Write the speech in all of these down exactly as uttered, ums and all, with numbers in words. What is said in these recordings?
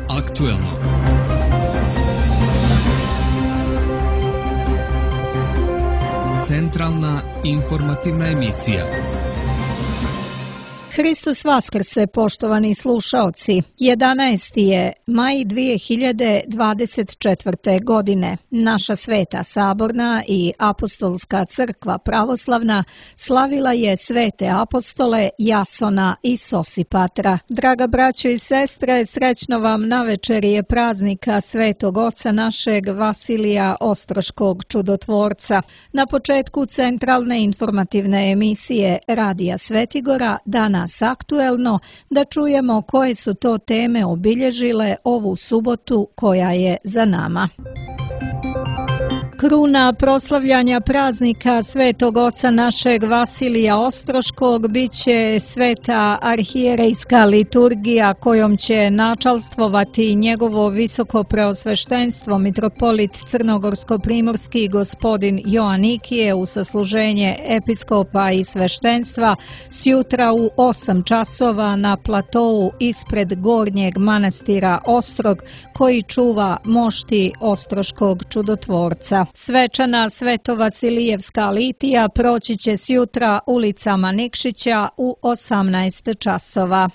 aktuelno. Centralna informativna emisija. Hristos Vaskrse, poštovani slušaoci. jedanaesti je maj dvije hiljade dvadeset četvrte. godine. Naša Sveta Saborna i Apostolska crkva pravoslavna slavila je svete apostole Jasona i Sosipatra. Draga braćo i sestre, srećno vam na večerije praznika Svetog Oca našeg Vasilija Ostroškog čudotvorca. Na početku centralne informativne emisije Radija Svetigora danas aktuelno da čujemo koje su to teme obilježile ovu subotu koja je za nama. Kruna proslavljanja praznika Svetog Oca našeg Vasilija Ostroškog biće sveta arhijerejska liturgija kojom će načalstvovati njegovo visoko preosveštenstvo mitropolit crnogorsko-primorski gospodin Joanikije u sasluženje episkopa i sveštenstva sjutra u osam časova na platou ispred gornjeg manastira Ostrog koji čuva mošti Ostroškog čudotvorca. Svečana Svetovasilijevska litija proći će sjutra ulicama Nikšića u osamnaest časova.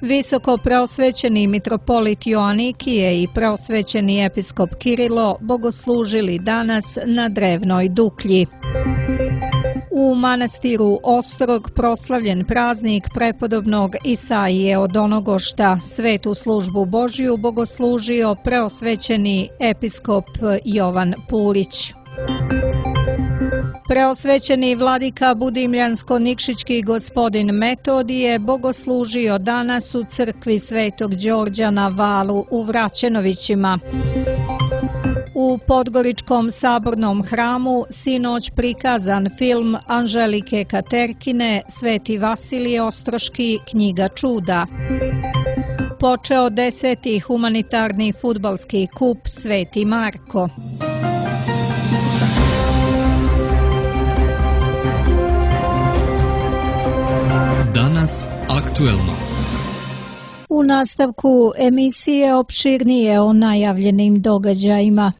Visoko preosvećeni mitropolit Joanikije i preosvećeni episkop Kirilo bogoslužili danas na Drevnoj Duklji. U manastiru Ostrog proslavljen praznik prepodobnog Isaije od Onogošta. Svetu službu Božiju bogoslužio preosvećeni episkop Jovan Purić. Preosvećeni vladika Budimljansko-Nikšićki gospodin Metodije bogoslužio danas u crkvi Svetog Đorđa na Valu u Vraćenovićima. U Podgoričkom sabornom hramu sinoć prikazan film Anželike Katerkine Sveti Vasilije Ostroški, knjiga čuda. Počeo deseti humanitarni fudbalski kup Sveti Marko. Danas aktuelno. U nastavku emisije opširnije o najavljenim događajima.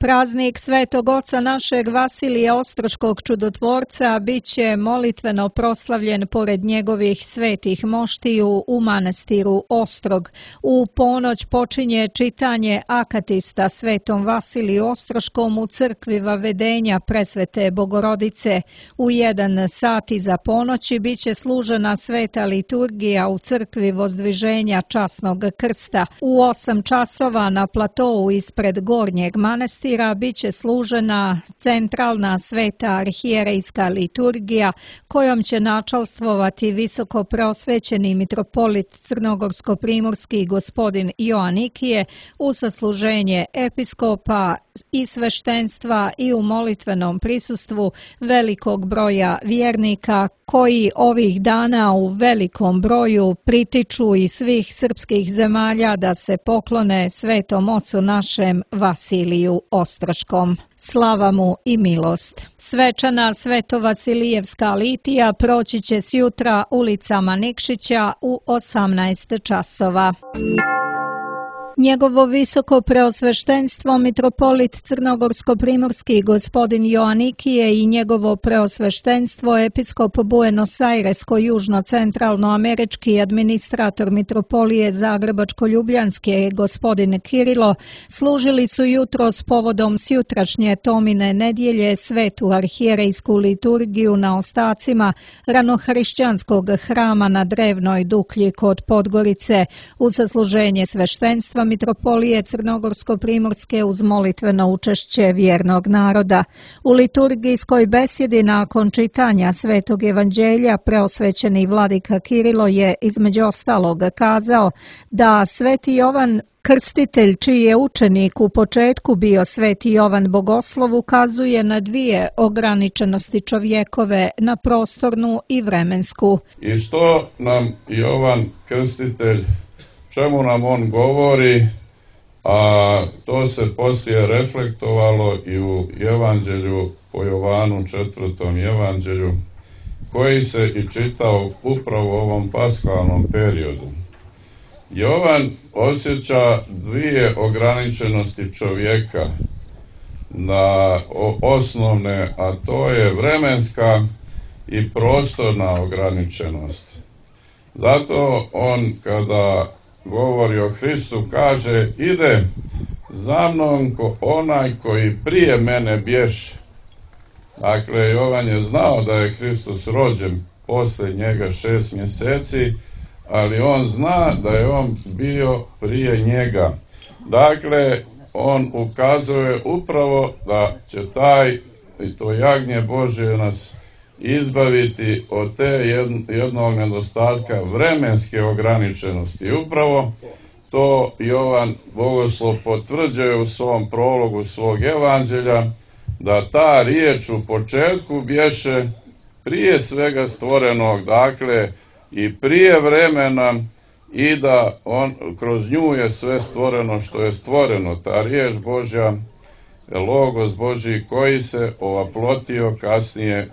Praznik Svetog Oca našeg Vasilija Ostroškog čudotvorca biće molitveno proslavljen pored njegovih svetih moštiju u manastiru Ostrog. U ponoć počinje čitanje akatista Svetom Vasiliju Ostroškom u crkvi Vavedenja Presvete Bogorodice. U jedan sat iza ponoći biće služena sveta liturgija u crkvi Vozdviženja Časnog krsta. U osam časova na platou ispred gornjeg manastira biće služena centralna sveta arhijerejska liturgija kojom će načalstvovati visoko preosvećeni mitropolit crnogorsko-primorski gospodin Joanikije u sasluženje episkopa i sveštenstva i u molitvenom prisustvu velikog broja vjernika koji ovih dana u velikom broju pritiču iz svih srpskih zemalja da se poklone Svetom Ocu našem Vasiliju Ostroškom. Slava mu i milost. Svečana Svetovasilijevska litija proći će sjutra ulicama Nikšića u osamnaest časova. Njegovo visoko preosveštenstvo mitropolit crnogorsko-primorski gospodin Joanikije i njegovo preosveštenstvo episkop Buenos Airesko-južno-centralnoamerički administrator mitropolije Zagrebačko-ljubljanske gospodin Kirilo služili su jutro s povodom sjutrašnje Tomine nedjelje svetu arhijerejsku liturgiju na ostacima ranohrišćanskog hrama na Drevnoj Duklji kod Podgorice u sasluženje sveštenstva mitropolije Crnogorsko-primorske uz molitveno učešće vjernog naroda. U liturgijskoj besjedi nakon čitanja Svetog evanđelja preosvećeni vladika Kirilo je između ostalog kazao da Sveti Jovan Krstitelj, čiji je učenik u početku bio Sveti Jovan Bogoslov, ukazuje na dvije ograničenosti čovjekove, na prostornu i vremensku. I što nam Jovan Krstitelj, čemu nam on govori, a to se poslije reflektovalo i u evanđelju po Jovanu, četvrtom evanđelju, koji se i čitao upravo u ovom paskalnom periodu. Jovan osjeća dvije ograničenosti čovjeka na osnovne, a to je vremenska i prostorna ograničenost. Zato on, kada govori o Hristu, kaže: ide za mnom ko onaj koji prije mene bješe. Dakle, Jovan je znao da je Hristos rođen poslije njega šest mjeseci, ali on zna da je on bio prije njega. Dakle, on ukazuje upravo da će taj, i to jagnje Božje, nas izbaviti od te jednog nedostatka vremenske ograničenosti. I upravo to Jovan Bogoslov potvrđuje u svom prologu svog evanđelja, da ta riječ u početku bješe prije svega stvorenog, dakle i prije vremena, i da on, kroz nju je sve stvoreno što je stvoreno. Ta riječ Božja, Logos Božji, koji se ovaplotio kasnije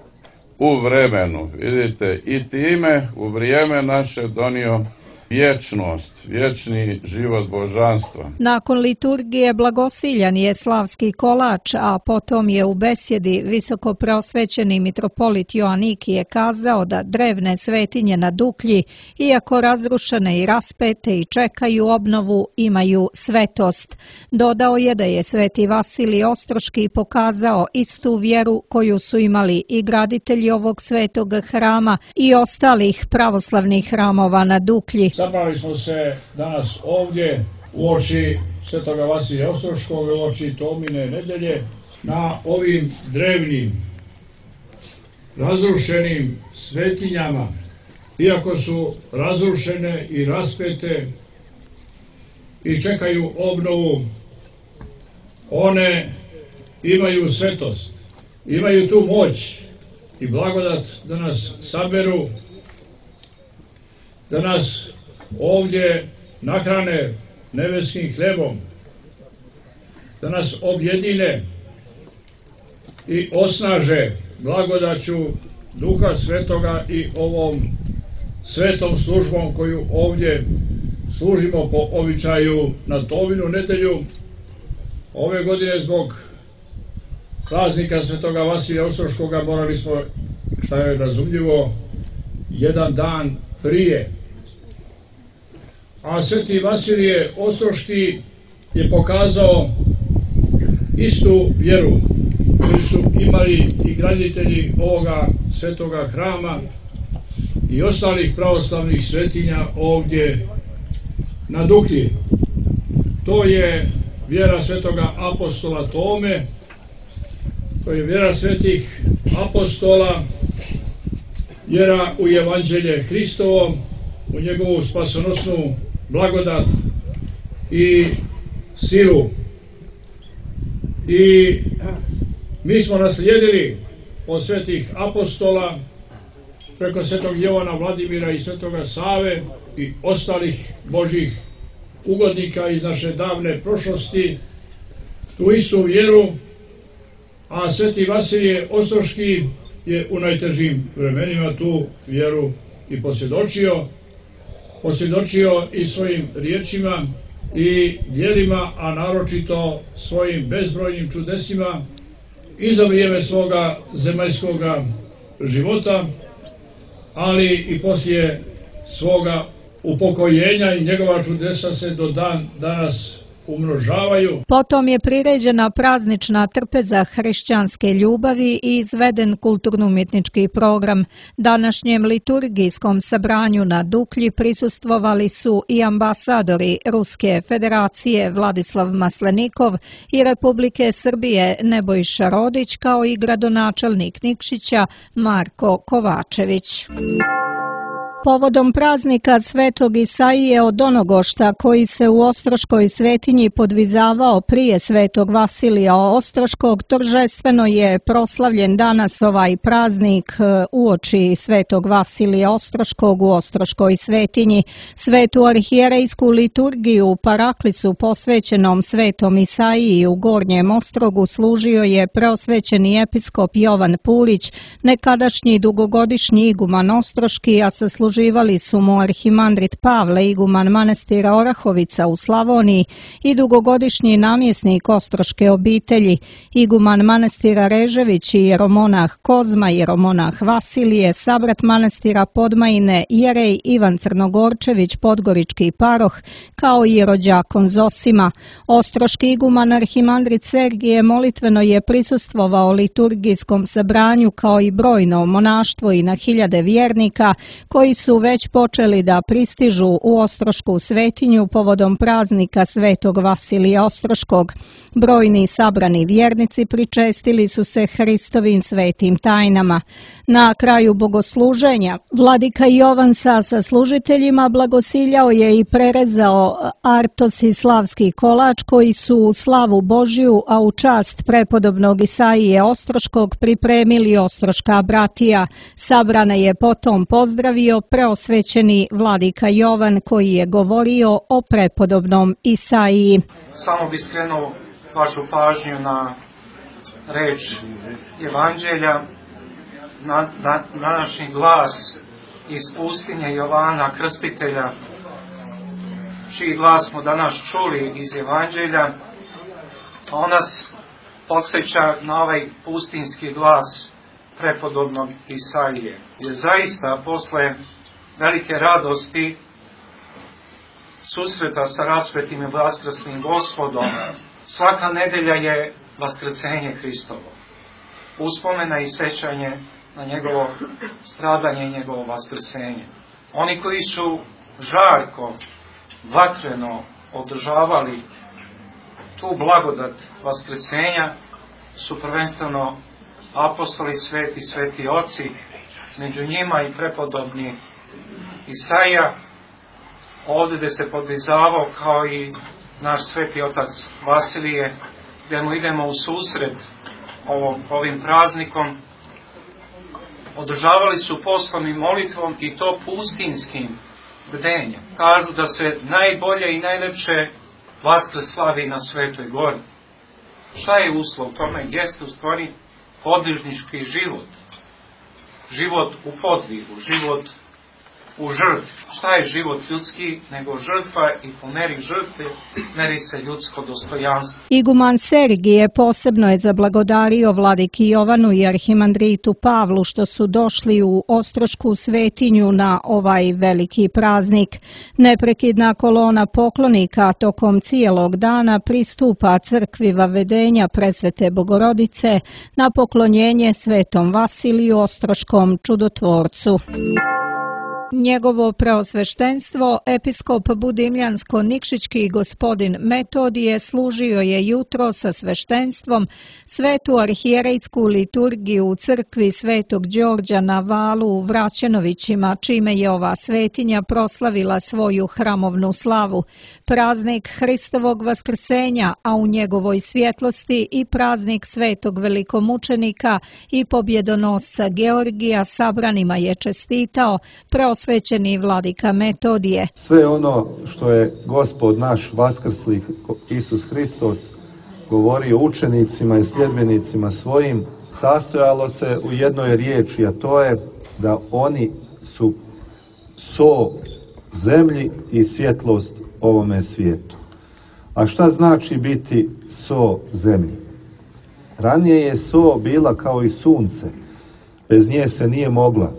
u vremenu. Vidite, i time u vrijeme naše donio vječnost, vječni život božanstva. Nakon liturgije blagosiljan je slavski kolač, a potom je u besjedi visoko preosvećeni mitropolit Joanikije kazao da drevne svetinje na Duklji, iako razrušene i raspete i čekaju obnovu, imaju svetost. Dodao je da je sveti Vasilij Ostroški pokazao istu vjeru koju su imali i graditelji ovog svetog hrama i ostalih pravoslavnih hramova na Duklji. Zabrali smo se danas ovdje uoči svetoga Vasilija Ostroškog, uoči Tomine nedelje, na ovim drevnim, razrušenim svetinjama. Iako su razrušene i raspete i čekaju obnovu, one imaju svetost, imaju tu moć i blagodat da nas saberu, da nas ovdje nahrane nebeskim hlebom, da nas objedine i osnaže blagodaću Duha Svetoga i ovom svetom službom koju ovdje služimo po običaju na Tominu nedelju. Ove godine zbog praznika svetoga Vasilija Ostroškoga morali smo, šta je razumljivo, jedan dan prije. A sveti Vasilije Ostroški je pokazao istu vjeru koju su imali i graditelji ovoga svetoga hrama i ostalih pravoslavnih svetinja ovdje na Duklji. To je vjera svetoga apostola Tome, to je vjera svetih apostola, vjera u evanđelje Hristovo, u njegovu spasonosnu blagodat i silu. I mi smo naslijedili od svetih apostola preko svetog Jovana Vladimira i svetoga Save i ostalih Božih ugodnika iz naše davne prošlosti tu istu vjeru, a sveti Vasilije Ostroški je u najtežim vremenima tu vjeru i posvjedočio, posvjedočio i svojim riječima i djelima, a naročito svojim bezbrojnim čudesima i za vrijeme svoga zemaljskog života, ali i poslije svoga upokojenja, i njegova čudesa se do dan danas umnožavaju. Potom je priređena praznična trpeza hrišćanske ljubavi i izveden kulturno-umjetnički program. Današnjem liturgijskom sabranju na Duklji prisustvovali su i ambasadori Ruske federacije Vladislav Maslenikov i Republike Srbije Nebojša Rodić, kao i gradonačelnik Nikšića Marko Kovačević. Povodom praznika Svetog Isaije od Donogošta, koji se u Ostroškoj svetinji podvizavao prije Svetog Vasilija Ostroškog, торжествено je proslavljen danas ovaj praznik uoči Svetog Vasilija Ostroškog u Ostroškoj svetinji. Svetu arhijerejsku liturgiju Paraklisu posvećenom Svetom Isaiji u Gornjem Ostrogu služio je preosvećeni episkop Jovan Pulić, nekadašnji dugogodišnji iguman Ostroški, a sasluživali su mu arhimandrit Pavle, iguman manastira Orahovica u Slavoniji i dugogodišnji namjesnik Ostroške obitelji, iguman manastira Režević i jeromonah Kozma, jeromonah Vasilije, sabrat manastira Podmajine, jerej Ivan Crnogorčević, podgorički paroh, kao i rođakon Zosima. Ostroški iguman arhimandrit Sergije molitveno je prisustvovao liturgijskom sabranju, kao i brojno monaštvo i na hiljade vjernika koji su već počeli da pristižu u Ostrošku svetinju povodom praznika Svetog Vasilija Ostroškog. Brojni sabrani vjernici pričestili su se Hristovim svetim tajnama. Na kraju bogosluženja vladika Jovan sa saslužiteljima blagosiljao je i prerezao artos i slavski kolač koji su u slavu Božju, a u čast prepodobnog Isaije Ostroškog pripremili ostroška bratija. Sabrane je potom pozdravio preosvećeni vladika Jovan, koji je govorio o prepodobnom Isaiji. Samo bi skrenuo vašu pažnju na reč Evanđelja, na, na današnji glas iz pustinje Jovana Krstitelja, čiji glas smo danas čuli iz Evanđelja, a on nas podsjeća na ovaj pustinski glas prepodobnog Isaije. Jer zaista posle velike radosti susreta sa rasvetim i vaskrsnim Gospodom, svaka nedelja je vaskrsenje Hristovo. Uspomena i sećanje na njegovo stradanje i njegovo vaskrsenje. Oni koji su žarko, vatreno održavali tu blagodat vaskrsenja su prvenstveno apostoli sveti, sveti oci, među njima i prepodobni Isaija, ovdje gdje se podvizavao kao i naš sveti otac Vasilije, gdje mu idemo u susret ovom, ovim praznikom. Održavali su postom i molitvom i to pustinskim bdenjem. Kažu da se najbolje i najlepše Vaskrs slavi na Svetoj gori. Šta je uslov tome? Jeste u stvari podvižnički život. Život u podvigu, život u žrtvi. Šta je život ljudski nego žrtva, i po meri žrtve meri se ljudsko dostojanstvo. Iguman Sergije posebno je zablagodario vladiki Jovanu i arhimandritu Pavlu što su došli u Ostrošku svetinju na ovaj veliki praznik. Neprekidna kolona poklonika tokom cijelog dana pristupa crkvi Vavedenja Presvete Bogorodice na poklonjenje Svetom Vasiliju Ostroškom čudotvorcu. Njegovo preosveštenstvo, episkop Budimljansko-Nikšićki gospodin Metodije, služio je jutro sa sveštenstvom svetu arhijerejsku liturgiju u crkvi Svetog Đorđa na Valu u Vraćenovićima, čime je ova svetinja proslavila svoju hramovnu slavu. Praznik Hristovog vaskrsenja, a u njegovoj svjetlosti i praznik Svetog velikomučenika i pobjedonosca Georgija sabranima je čestitao preosvećeni vladika Metodije. Sve ono što je Gospod naš vaskrsli Isus Hristos govorio učenicima i sljedbenicima svojim, sastojalo se u jednoj riječi, a to je da oni su so zemlji i svjetlost ovome svijetu. A šta znači biti so zemlji? Ranije je so bila kao i sunce, bez nje se nije mogla.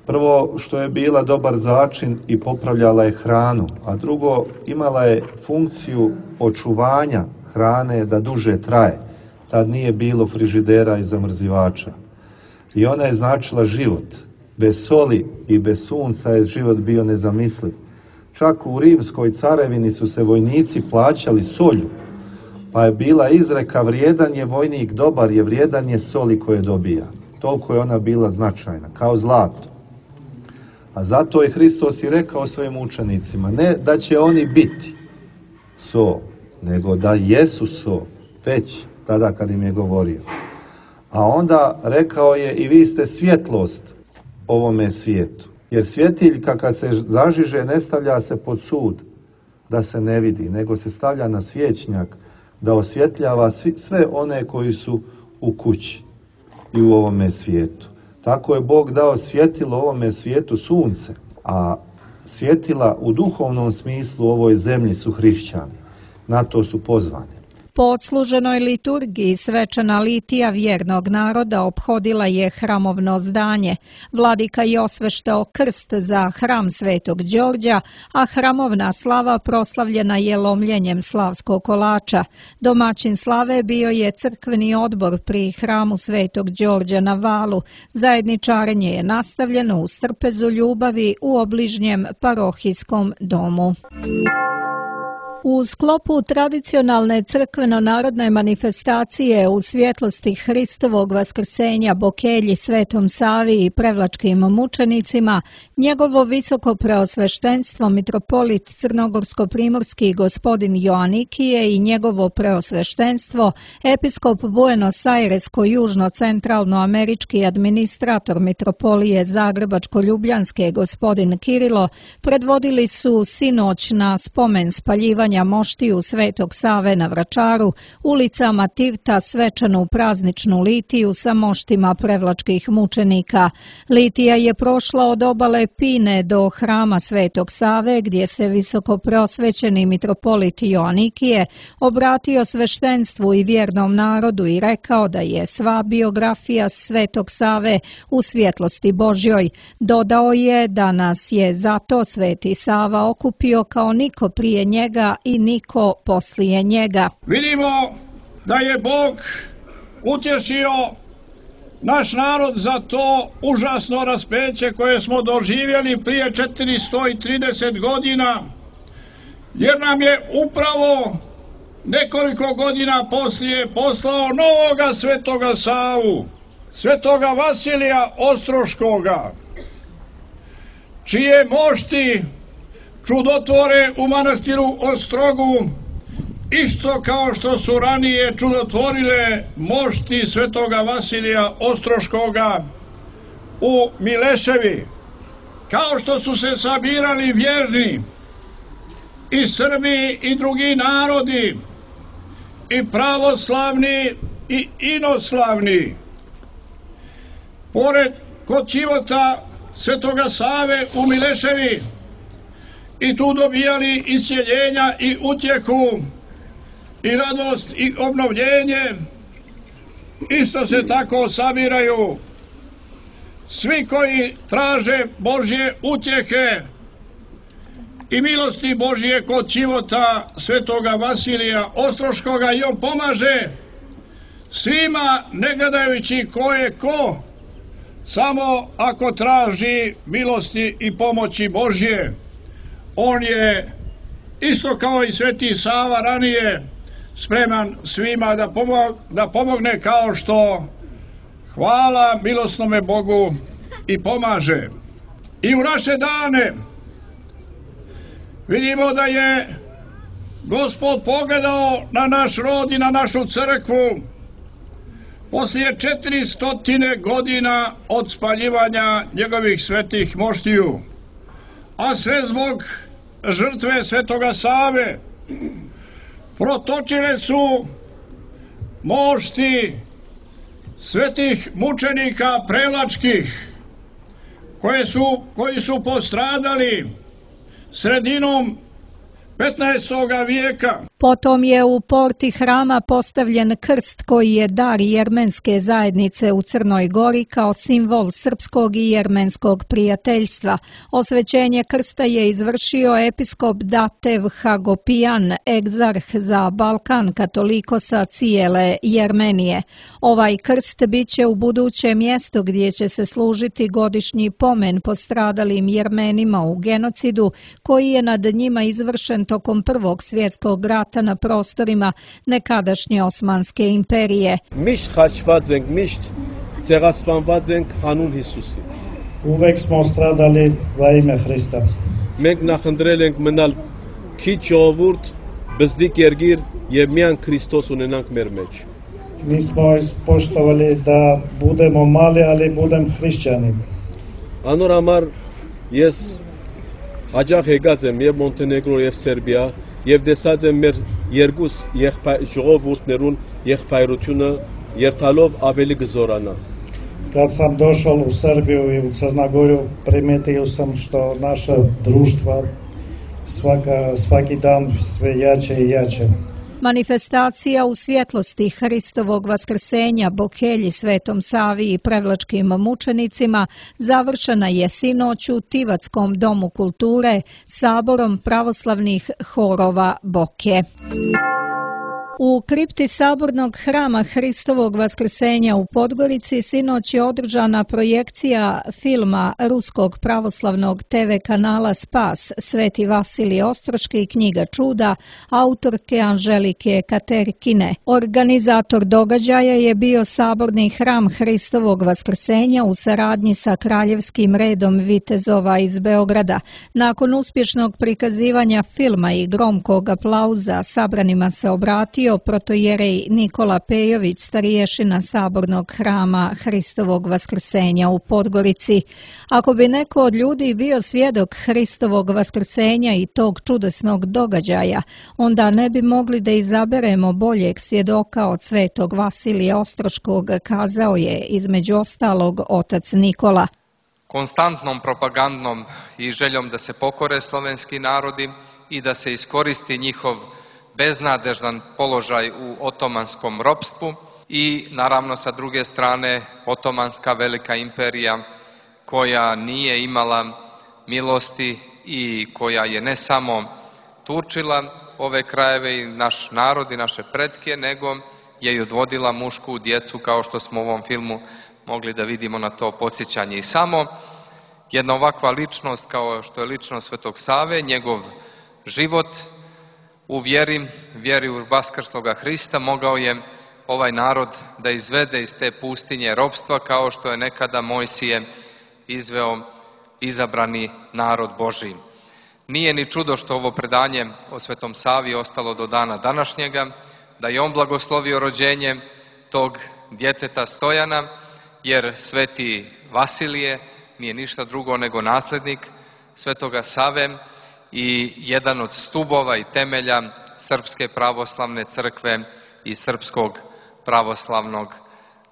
Prvo, što je bila dobar začin i popravljala je hranu, a drugo, imala je funkciju očuvanja hrane da duže traje. Tad nije bilo frižidera i zamrzivača. I ona je značila život. Bez soli i bez sunca je život bio nezamisliv. Čak u Rimskoj carevini su se vojnici plaćali solju, pa je bila izreka vrijedan je vojnik, dobar je, vrijedan je soli koje dobija. Toliko je ona bila značajna, kao zlato. A zato je Hristos i rekao svojim učenicima, ne da će oni biti so, nego da jesu so, već tada kad im je govorio. A onda rekao je i vi ste svjetlost ovome svijetu. Jer svjetiljka kad se zažiže ne stavlja se pod sud da se ne vidi, nego se stavlja na svječnjak da osvjetljava svi, sve one koji su u kući i u ovome svijetu. Tako je Bog dao svjetilo ovome svijetu sunce, a svjetila u duhovnom smislu u ovoj zemlji su hrišćani. Na to su pozvani. Po odsluženoj liturgiji svečana litija vjernog naroda ophodila je hramovno zdanje. Vladika je osveštao krst za hram Svetog Đorđa, a hramovna slava proslavljena je lomljenjem slavskog kolača. Domaćin slave bio je crkveni odbor pri hramu Svetog Đorđa na Valu. Zajedničarenje je nastavljeno u strpezu ljubavi u obližnjem parohijskom domu. U sklopu tradicionalne crkveno-narodne manifestacije u svjetlosti Hristovog vaskrsenja Bokelji, Svetom Savi i Prevlačkim mučenicima, njegovo visoko preosveštenstvo mitropolit crnogorsko-primorski gospodin Joanikije i njegovo preosveštenstvo episkop Buenos Aires-južno-centralnoamerički administrator mitropolije Zagrebačko-ljubljanske gospodin Kirilo predvodili su sinoć na spomen spaljivanja moštiju Svetog Save na Vračaru, ulicama Tivta svečanu prazničnu litiju sa moštima prevlačkih mučenika. Litija je prošla od obale Pine do hrama Svetog Save, gdje se visoko preosvećeni mitropolit Joanikije obratio sveštenstvu i vjernom narodu i rekao da je sva biografija Svetog Save u svjetlosti Božjoj. Dodao je da nas je zato Sveti Sava okupio kao niko prije njega i niko poslije njega. Vidimo da je Bog utješio naš narod za to užasno raspeće koje smo doživjeli prije četiristo trideset godina, jer nam je upravo nekoliko godina poslije poslao novoga Svetoga Savu, Svetoga Vasilija Ostroškoga, čije mošti čudotvore u manastiru Ostrogu, isto kao što su ranije čudotvorile mošti Svetoga Vasilija Ostroškoga u Mileševi, kao što su se sabirali vjerni i Srbi i drugi narodi, i pravoslavni i inoslavni, pored kod čivota Svetoga Save u Mileševi, i tu dobijali isjeljenja i utjehu i radost i obnovljenje. Isto se tako sabiraju svi koji traže Božje utjehe i milosti Božje kod čivota Svetoga Vasilija Ostroškoga, i on pomaže svima, ne gledajući ko je ko, samo ako traži milosti i pomoći Božje. On je, isto kao i Sveti Sava ranije, spreman svima da, pomog, da pomogne, kao što hvala milosnome Bogu i pomaže. I u naše dane vidimo da je Gospod pogledao na naš rod i na našu crkvu poslije četiristotine godina od spaljivanja njegovih svetih moštiju, a sve zbog žrtve Svetoga Save. Protočile su mošti svetih mučenika prevlačkih, koje su, koji su postradali sredinom petnaestoga vijeka. Potom je u porti hrama postavljen krst koji je dar jermenske zajednice u Crnoj Gori kao simbol srpskog i jermenskog prijateljstva. Osvećenje krsta je izvršio episkop Datev Hagopijan, egzarh za Balkan katolikosa cijele Jermenije. Ovaj krst bit će u buduće mjesto gdje će se služiti godišnji pomen postradalim Jermenima u genocidu koji je nad njima izvršen tokom Prvog svjetskog rata na prostorima nekadašnje Osmanske imperije. Misht haçvat zeng, misht ceraspanvat zeng hanun Hisusi. Uvek smo stradali va ime Hrista. Մենք նախընտրել ենք մնալ քիչ ժողովուրդ, բզդիկ երգիր եւ միան Քրիստոս ունենանք մեր մեջ։ Mi smo ispoštovali da budemo mali, ali budem hrišćani. Անոր համար ես հաջող եկած եմ եւ Մոնտենեգրո եւ Սերբիա եւ տեսած եմ մեր երկուս ժողովուրդներուն եղբայրությունը երթալով ավելի գզորանա։ Kad sam došao u Srbiju i u Crnogoru, primetio sam što naša društva svaka, svaki dan sve jače i jače. Manifestacija u svjetlosti Hristovog vaskrsenja Bokelji, Svetom Savi i Prevlačkim mučenicima završena je sinoć u Tivatskom domu kulture saborom pravoslavnih horova Boke. U kripti sabornog hrama Hristovog vaskrsenja u Podgorici sinoć je održana projekcija filma ruskog pravoslavnog te ve kanala Spas Sveti Vasilije Ostroški knjiga čuda autorke Anželike Katerkine. Organizator događaja je bio saborni hram Hristovog vaskrsenja u saradnji sa Kraljevskim redom vitezova iz Beograda. Nakon uspješnog prikazivanja filma i gromkog aplauza sabranima se obratio protojerej Nikola Pejović, stariješina sabornog hrama Hristovog vaskrsenja u Podgorici. Ako bi neko od ljudi bio svjedok Hristovog vaskrsenja i tog čudesnog događaja, onda ne bi mogli da izaberemo boljeg svjedoka od Svetog Vasilija Ostroškog, kazao je između ostalog otac Nikola. Konstantnom propagandnom i željom da se pokore slovenski narodi i da se iskoristi njihov beznadežan položaj u otomanskom ropstvu i naravno sa druge strane otomanska velika imperija koja nije imala milosti i koja je ne samo turčila ove krajeve i naš narod i naše pretke, nego je i odvodila mušku djecu, kao što smo u ovom filmu mogli da vidimo na to podsjećanje. I samo jedna ovakva ličnost kao što je ličnost Svetog Save, njegov život u vjeri, vjeri u vaskrsloga Hrista mogao je ovaj narod da izvede iz te pustinje ropstva, kao što je nekada Mojsije izveo izabrani narod Božiji. Nije ni čudo što ovo predanje o Svetom Savi ostalo do dana današnjega, da je on blagoslovio rođenje tog djeteta Stojana, jer Sveti Vasilije nije ništa drugo nego nasljednik Svetoga Save i jedan od stubova i temelja Srpske pravoslavne crkve i srpskog pravoslavnog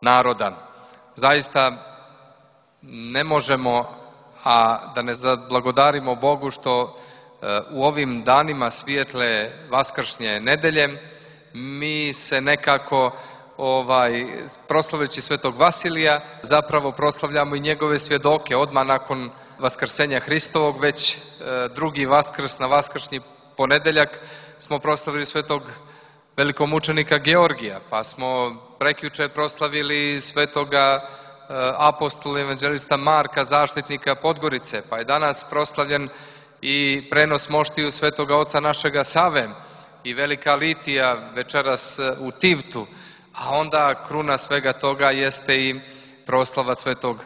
naroda. Zaista ne možemo, a da ne zablagodarimo Bogu što u ovim danima svijetle vaskršnje nedelje mi se nekako ovaj, proslavljajući Svetog Vasilija zapravo proslavljamo i njegove svjedoke. Odmah nakon Vaskrsenja Hristovog, već e, drugi Vaskrs na vaskršnji ponedeljak smo proslavili Svetog velikomučenika Georgija, pa smo prekjuče proslavili Svetoga e, apostola evanđelista Marka, zaštitnika Podgorice, pa je danas proslavljen i prenos moštiju Svetoga oca našega Save i velika litija večeras u Tivtu, a onda kruna svega toga jeste i proslava Svetog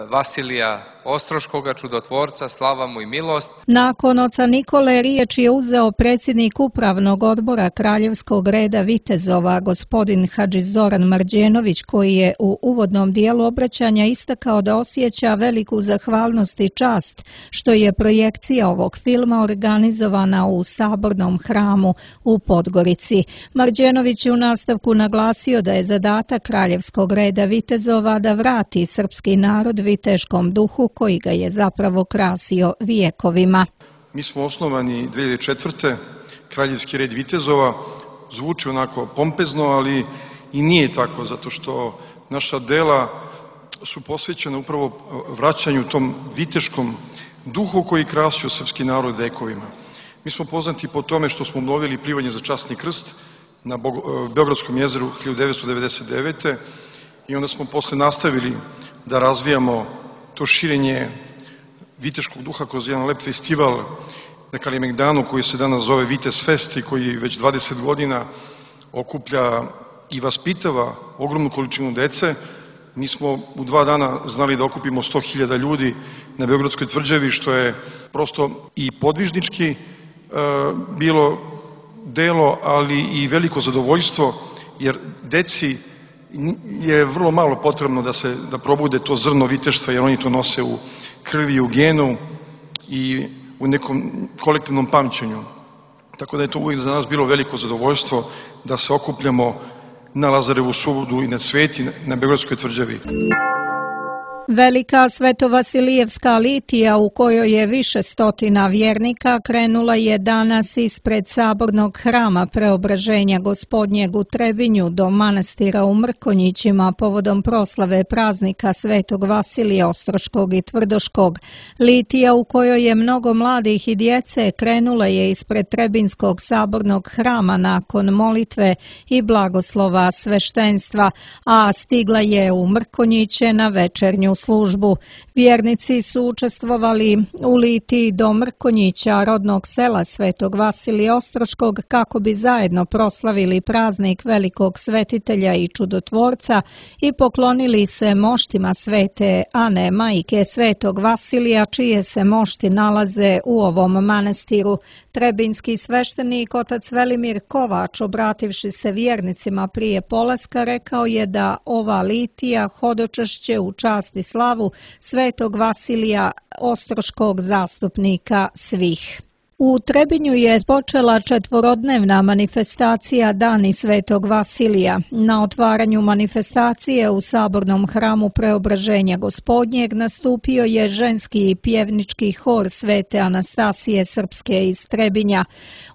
Vasilija Ostroškoga, čudotvorca, slava mu i milost. Nakon oca Nikole riječ je uzeo predsjednik upravnog odbora Kraljevskog reda vitezova, gospodin Hadži Zoran Marđenović, koji je u uvodnom dijelu obraćanja istakao da osjeća veliku zahvalnost i čast što je projekcija ovog filma organizovana u sabornom hramu u Podgorici. Marđenović je u nastavku naglasio da je zadatak Kraljevskog reda vitezova da vrati srpski narod viteškom duhu koji ga je zapravo krasio vijekovima. Mi smo osnovani dve hiljade četvrte. Kraljevski red vitezova, zvuči onako pompezno, ali i nije tako, zato što naša dela su posvećena upravo vraćanju tom viteškom duhu koji krasio srpski narod vekovima. Mi smo poznati po tome što smo obnovili plivanje za časni krst na Beogradskom jezeru hiljadu devetsto devedeset devete. i onda smo posle nastavili da razvijamo to širenje viteškog duha kroz jedan lep festival na Kalemegdanu koji se danas zove Vitez Fest i koji već dvadeset godina okuplja i vaspitava ogromnu količinu dece Mi smo u dva dana znali da okupimo sto hiljada ljudi na Beogradskoj tvrđavi, što je prosto i podvižnički e, bilo delo, ali i veliko zadovoljstvo, jer deci je vrlo malo potrebno da se da probude to zrno viteštva, jer oni to nose u krvi, u genu i u nekom kolektivnom pamćenju. Tako da je to uvijek za nas bilo veliko zadovoljstvo da se okupljamo na Lazarevu sudu i na Sveti, na Beogradskoj tvrđavi. Velika Svetovasilijevska litija u kojoj je više stotina vjernika krenula je danas ispred sabornog hrama Preobraženja Gospodnjeg u Trebinju do manastira u Mrkonjićima povodom proslave praznika Svetog Vasilija Ostroškog i Tvrdoškog. Litija u kojoj je mnogo mladih i djece krenula je ispred Trebinskog sabornog hrama nakon molitve i blagoslova sveštenstva, a stigla je u Mrkonjiće na večernju službu. Vjernici su učestvovali u litiji do Mrkonjića, rodnog sela Svetog Vasilija Ostroškog, kako bi zajedno proslavili praznik velikog svetitelja i čudotvorca i poklonili se moštima Svete Ane, majke Svetog Vasilija, čije se mošti nalaze u ovom manastiru. Trebinski sveštenik otac Velimir Kovač, obrativši se vjernicima prije polaska, rekao je da ova litija hodočešće u čast i slavu Svetog Vasilija Ostroškog, zastupnika svih. U Trebinju je počela četvorodnevna manifestacija Dani Svetog Vasilija. Na otvaranju manifestacije u sabornom hramu Preobraženja Gospodnjeg nastupio je ženski pjevnički hor Svete Anastasije Srpske iz Trebinja.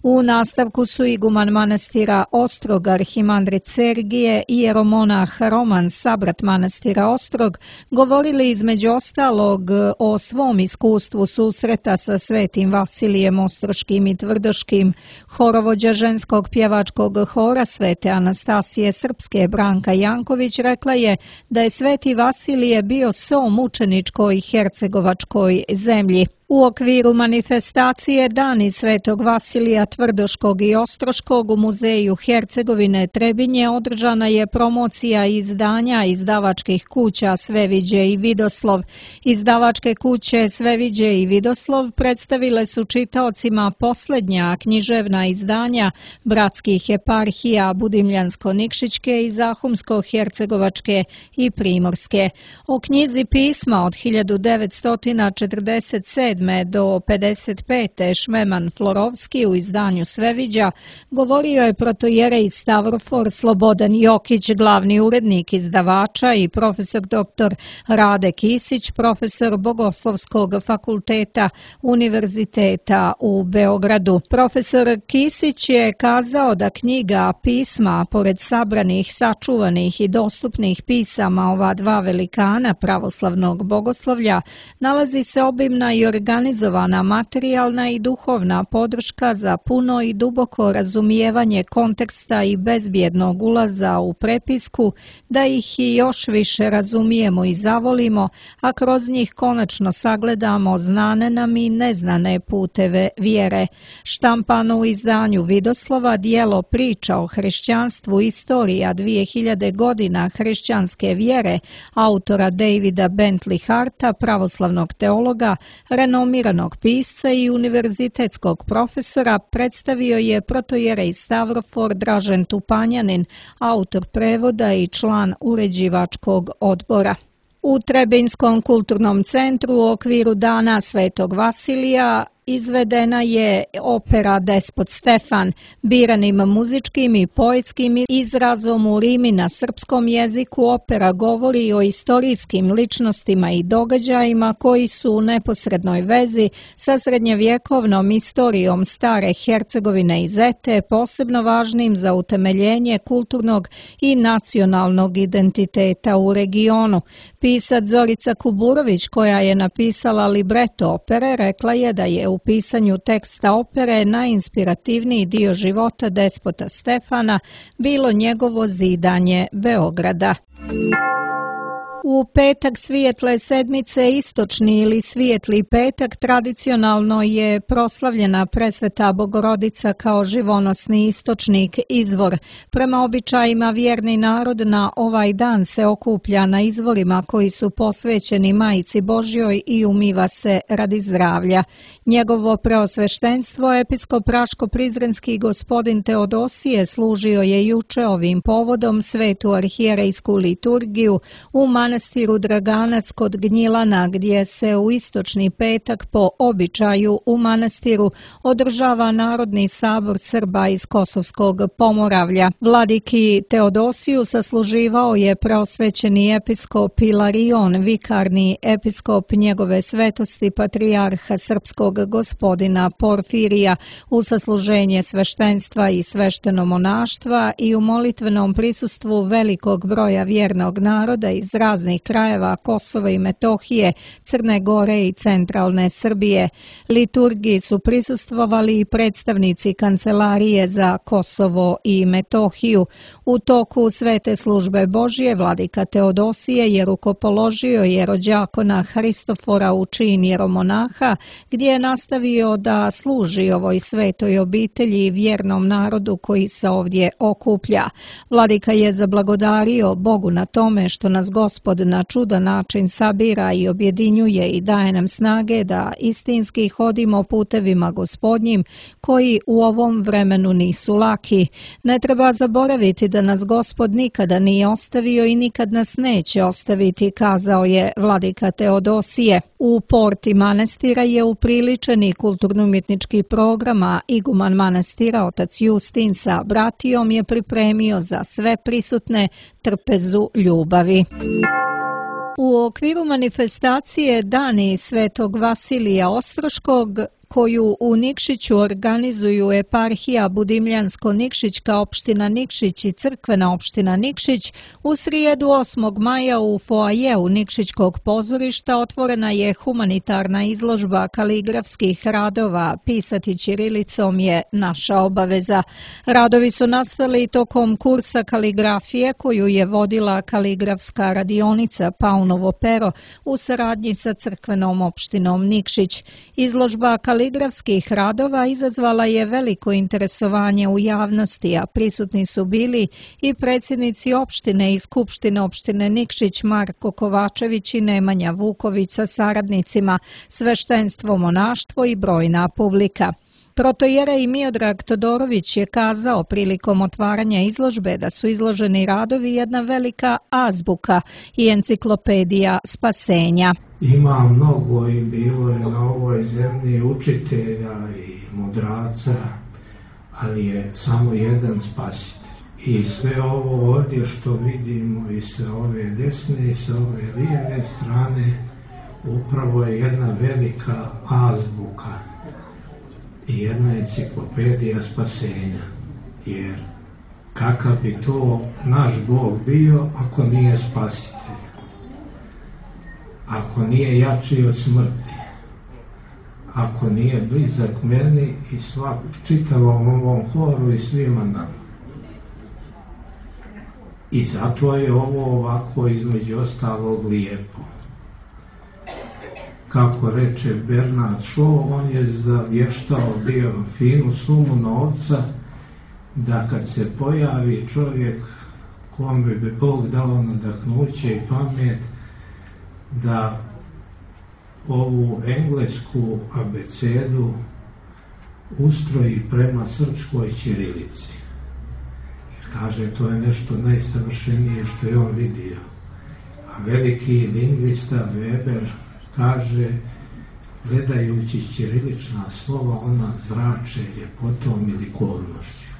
U nastavku su iguman manastira Ostrog, arhimandrit Sergije i jeromonah Roman, sabrat manastira Ostrog, govorili između ostalog o svom iskustvu susreta sa Svetim Vasilijem Ostroškim i Tvrdoškim. Horovođa ženskog pjevačkog hora Svete Anastasije Srpske Branka Janković rekla je da je Sveti Vasilije bio so mučeničkoj hercegovačkoj zemlji. U okviru manifestacije Dani Svetog Vasilija Tvrdoškog i Ostroškog u Muzeju Hercegovine Trebinje održana je promocija izdanja izdavačkih kuća Sveviđe i Vidoslov. Izdavačke kuće Sveviđe i Vidoslov predstavile su čitaocima posljednja književna izdanja bratskih eparhija Budimljansko-Nikšićke i Zahumsko-Hercegovačke i Primorske. O knjizi pisma od hiljadu devetsto četrdeset sedme do pedeset pete Šmeman Florovski u izdanju Sveviđa govorio je protojerej Stavrofor Slobodan Jokić, glavni urednik izdavača, i profesor doktor Rade Kisić, profesor Bogoslovskog fakulteta Univerziteta u Beogradu. Profesor Kisić je kazao da knjiga pisma, pored sabranih, sačuvanih i dostupnih pisama ova dva velikana pravoslavnog bogoslovlja, nalazi se obimna i organizovana materijalna i duhovna podrška za puno i duboko razumijevanje konteksta i bezbjednog ulaza u prepisku, da ih i još više razumijemo i zavolimo, a kroz njih konačno sagledamo znane nam i neznane puteve vjere. Štampano u izdanju Vidoslova dijelo Priča o hrišćanstvu, istorija dvije hiljade godina hrišćanske vjere, autora Davida Bentley Harta, pravoslavnog teologa, renomiranog pisca i univerzitetskog profesora, predstavio je protojerej Stavrofor Dražen Tupanjanin, autor prevoda i član uređivačkog odbora. U Trebinskom kulturnom centru u okviru Dana Svetog Vasilija izvedena je opera Despot Stefan, biranim muzičkim i poetskim izrazom u rimi na srpskom jeziku. Opera govori o istorijskim ličnostima i događajima koji su u neposrednoj vezi sa srednjevjekovnom istorijom stare Hercegovine i Zete, posebno važnim za utemeljenje kulturnog i nacionalnog identiteta u regionu. Pisac Zorica Kuburović, koja je napisala libreto opere, rekla je da je u pisanju teksta opere najinspirativniji dio života despota Stefana bilo njegovo zidanje Beograda. U petak svijetle sedmice, istočni ili svijetli petak, tradicionalno je proslavljena Presveta Bogorodica kao živonosni istočnik, izvor. Prema običajima vjerni narod na ovaj dan se okuplja na izvorima koji su posvećeni Majici Božjoj i umiva se radi zdravlja. Njegovo preosveštenstvo, episkop Raško-Prizrenski gospodin Teodosije, služio je juče ovim povodom svetu arhijerejsku liturgiju u manastiru Draganac kod Gnjilana, gdje se u istočni petak po običaju u manastiru održava Narodni sabor Srba iz Kosovskog Pomoravlja. Vladiki Teodosiju sasluživao je preosvećeni episkop Ilarion, vikarni episkop njegove svetosti patrijarha srpskog gospodina Porfirija, u sasluženje sveštenstva i svešteno monaštva i u molitvenom prisustvu velikog broja vjernog naroda iz raznih krajeva Kosova i Metohije, Crne Gore i centralne Srbije. Liturgiji su prisustvovali i predstavnici Kancelarije za Kosovo i Metohiju. U toku svete službe Božje vladika Teodosije je rukopoložio jerođakona Hristofora u čin jeromonaha, gdje je nastavio da služi ovoj svetoj obitelji i vjernom narodu koji se ovdje okuplja. Vladika je zablagodario Bogu na tome što nas Gospod na čudan način sabira i objedinjuje i daje nam snage da istinski hodimo putevima Gospodnjim koji u ovom vremenu nisu laki. Ne treba zaboraviti da nas Gospod nikada nije ostavio i nikad nas neće ostaviti, kazao je vladika Teodosije. U porti manastira je upriličen i kulturno-umjetnički program, a iguman manastira otac Justin sa bratijom je pripremio za sve prisutne trpezu ljubavi. U okviru manifestacije Dani Svetog Vasilija Ostroškog, koju u Nikšiću organizuju eparhija Budimljansko-Nikšićka opština Nikšić i crkvena opština Nikšić, u srijedu osmog maja u foajeu Nikšićkog pozorišta otvorena je humanitarna izložba kaligrafskih radova Pisati ćirilicom je naša obaveza. Radovi su nastali tokom kursa kaligrafije koju je vodila kaligrafska radionica Paunovo pero u saradnji sa crkvenom opštinom Nikšić. Izložba kaligrafskih radova izazvala je veliko interesovanje u javnosti, a prisutni su bili i predsjednici opštine i skupštine opštine Nikšić Marko Kovačević i Nemanja Vuković sa saradnicima, sveštenstvo, monaštvo i brojna publika. Protojerej Miodrag Todorović je kazao prilikom otvaranja izložbe da su izloženi radovi jedna velika azbuka i enciklopedija spasenja. Ima mnogo i bilo je na ovoj zemlji učitelja i mudraca, ali je samo jedan spasitelj. I sve ovo ovdje što vidimo i sa ove desne i sa ove lijeve strane upravo je jedna velika azbuka i jedna enciklopedija spasenja. Jer kakav bi to naš Bog bio ako nije spasitelj? Ako nije jači od smrti, ako nije blizak meni i svak, čitavom ovom horu i svima nama. I zato je ovo ovako između ostalog lijepo. Kako reče Bernard Shaw, on je zavještao bio finu sumu novca da kad se pojavi čovjek kome bi Bog dao nadahnuće i pamet, da ovu englesku abecedu ustroji prema srpskoj ćirilici. Jer kaže, to je nešto najsavršenije što je on vidio. A veliki lingvista Weber kaže, gledajući ćirilična slova, ona zrače ljepotom i likovnošću.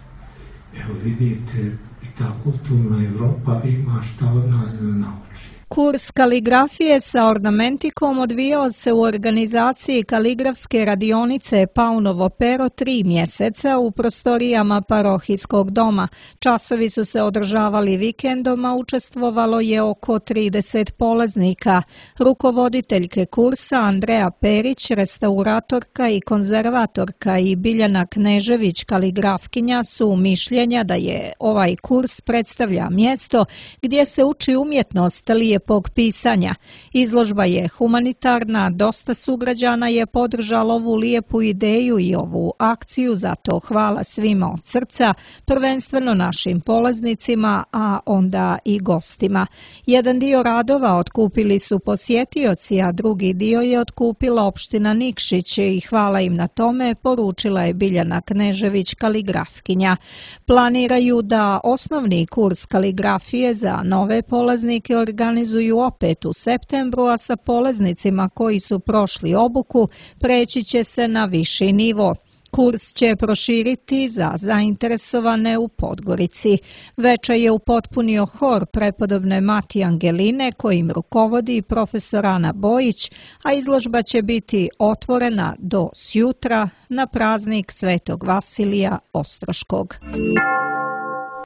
Evo vidite, i ta kulturna Evropa ima šta od nas da nauči. Kurs kaligrafije sa ornamentikom odvijao se u organizaciji kaligrafske radionice Paunovo pero tri mjeseca u prostorijama parohijskog doma. Časovi su se održavali vikendom, a učestvovalo je oko trideset polaznika. Rukovoditeljke kursa Andreja Perić, restauratorka i konzervatorka, i Biljana Knežević, kaligrafkinja, su mišljenja da je ovaj kurs predstavlja mjesto gdje se uči umjetnost lijepog lijepog pisanja. Izložba je humanitarna, dosta sugrađana je podržalo ovu lijepu ideju i ovu akciju, zato hvala svima od srca, prvenstveno našim polaznicima, a onda i gostima. Jedan dio radova otkupili su posjetioci, a drugi dio je otkupila opština Nikšić i hvala im na tome, poručila je Biljana Knežević, kaligrafkinja. Planiraju da osnovni kurs kaligrafije za nove polaznike organizuju opet u septembru, a sa polaznicima koji su prošli obuku preći će se na viši nivo. Kurs će proširiti za zainteresovane u Podgorici. Večer je upotpunio hor prepodobne Mati Angeline, kojim rukovodi profesor Ana Bojić, a izložba će biti otvorena do sjutra na praznik Svetog Vasilija Ostroškog.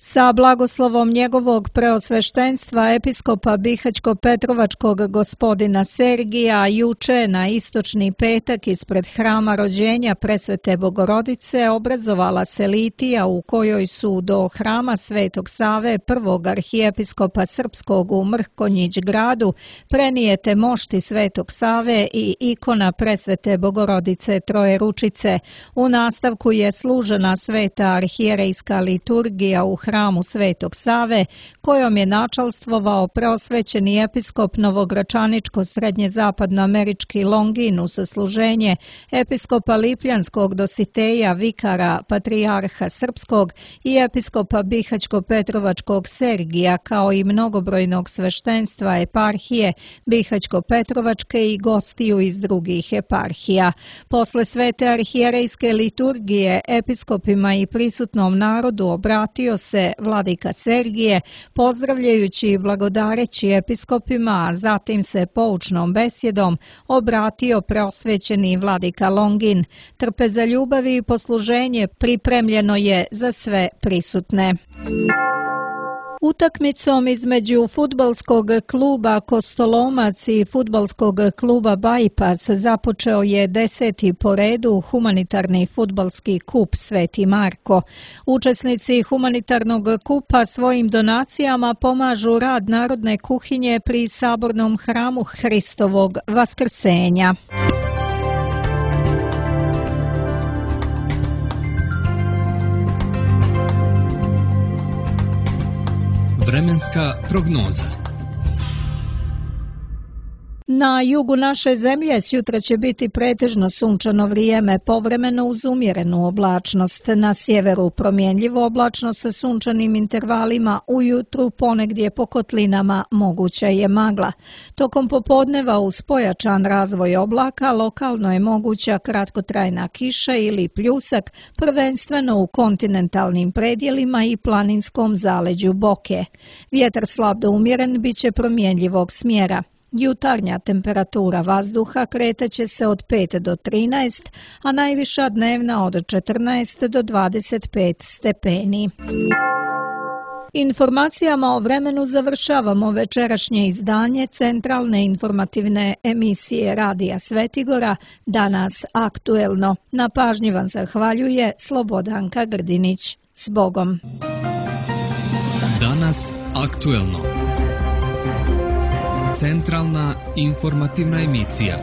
Sa blagoslovom njegovog preosveštenstva episkopa Bihaćko-Petrovačkog gospodina Sergija juče na istočni petak ispred hrama rođenja Presvete Bogorodice obrazovala se litija u kojoj su do hrama Svetog Save, prvog arhijepiskopa srpskog u Mrkonjić gradu, prenijete mošti Svetog Save i ikona Presvete Bogorodice Trojeručice. U nastavku je služena sveta arhijerejska liturgija u hramu Svetog Save, kojom je načalstvovao preosvećeni episkop novogračaničko-srednje-zapadnoamerički Longin u sasluženje episkopa Lipljanskog Dositeja, vikara patrijarha srpskog i episkopa Bihaćko-Petrovačkog Sergija, kao i mnogobrojnog sveštenstva eparhije Bihaćko-Petrovačke i gostiju iz drugih eparhija. Posle svete arhijerejske liturgije episkopima i prisutnom narodu obratio se vladika Sergije, pozdravljajući i blagodareći episkopima, a zatim se poučnom besjedom obratio preosvećeni vladika Longin. Trpe za ljubavi i posluženje pripremljeno je za sve prisutne. Utakmicom između fudbalskog kluba Kostolomac i fudbalskog kluba Bajpas započeo je deseti po redu humanitarni fudbalski kup Sveti Marko. Učesnici humanitarnog kupa svojim donacijama pomažu rad narodne kuhinje pri sabornom hramu Hristovog Vaskrsenja. Vremenska prognoza. Na jugu naše zemlje sjutra će biti pretežno sunčano vrijeme, povremeno uz umjerenu oblačnost. Na sjeveru promjenljivo oblačno sa sunčanim intervalima, ujutru ponegdje po kotlinama moguća je magla. Tokom popodneva uz pojačan razvoj oblaka lokalno je moguća kratkotrajna kiša ili pljusak, prvenstveno u kontinentalnim predjelima i planinskom zaleđu Boke. Vjetar slab do umjeren bit će promjenljivog smjera. Jutarnja temperatura vazduha kretaće se od pet do trinaest, a najviša dnevna od četrnaest do dvadeset pet stepeni. Informacijama o vremenu završavamo večerašnje izdanje centralne informativne emisije Radija Svetigora, Danas aktuelno. Na pažnji vam zahvaljuje Slobodanka Grdinić. S Bogom! Danas aktuelno. Centralna informativna emisija.